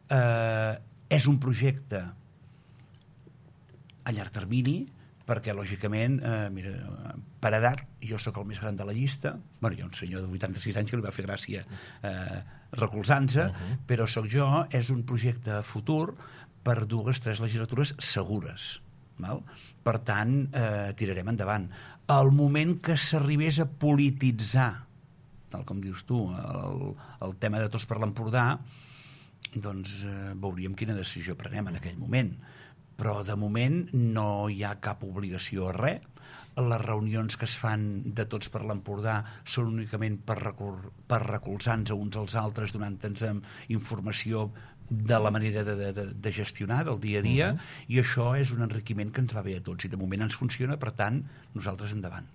És un projecte a llarg termini, perquè, lògicament, per edat, jo sóc el més gran de la llista. Bueno, hi ha un senyor de 86 anys que li va fer gràcia recolzant-se, però sóc jo. És un projecte futur per 2-3 legislatures segures. Val? Per tant, tirarem endavant. Al moment que s'arribés a polititzar, tal com dius tu, el tema de Tots per l'Empordà, doncs veuríem quina decisió prenem en aquell moment. Però de moment no hi ha cap obligació a res. Les reunions que es fan de Tots per l'Empordà són únicament per recolzar-nos uns als altres, donant-nos informació de la manera de gestionar del dia a dia, i això és un enriquiment que ens va bé a tots, i de moment ens funciona. Per tant, nosaltres endavant.